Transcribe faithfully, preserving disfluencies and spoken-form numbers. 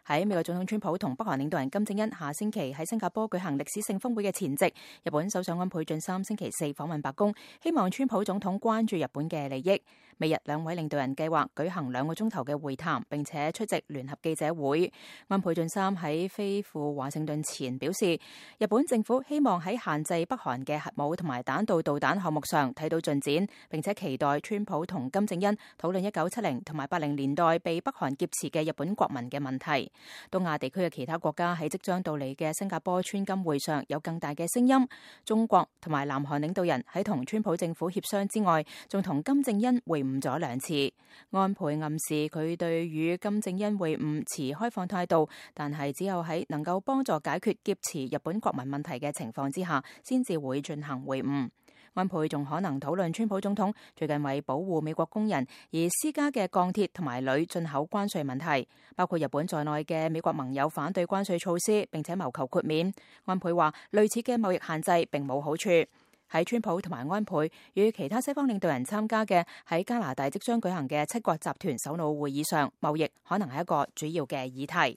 喺美國總統川普同北韓領導人金正恩下星期喺新加坡舉行歷史性峰會嘅前夕，日本首相安倍晉三星期四訪問白宮，希望川普總統關注日本嘅利益。美日兩位領導人計劃舉行兩個鐘頭嘅會談，並且出席聯合記者會。安倍晉三喺飛赴華盛頓前表示，日本政府希望喺限制北韓嘅核武同埋彈道導彈項目上睇到進展，並且期待川普同金正恩討論一九七零同埋八零年代被北韓劫持嘅日本國民嘅問題。東亞地區嘅其他國家喺即將到嚟嘅新加坡川金會上有更大嘅聲音。中國同埋南韓領導人喺同川普政府協商之外，仲同金正恩會晤咗兩次。安倍暗示佢對與金正恩會晤持開放態度，但係只有喺能夠幫助解決劫持日本國民問題嘅情況之下，先至會進行會晤。安倍仲可能討論川普總統最近為保護美國工人而施加嘅鋼鐵同埋鋁進口關稅問題，包括日本在內嘅美國盟友反對關稅措施，並且謀求豁免。安倍話類似嘅貿易限制並冇好處。喺川普同埋安倍與其他西方領導人參加嘅喺加拿大即將舉行嘅七國集團首腦會議上，貿易可能係一個主要嘅議題。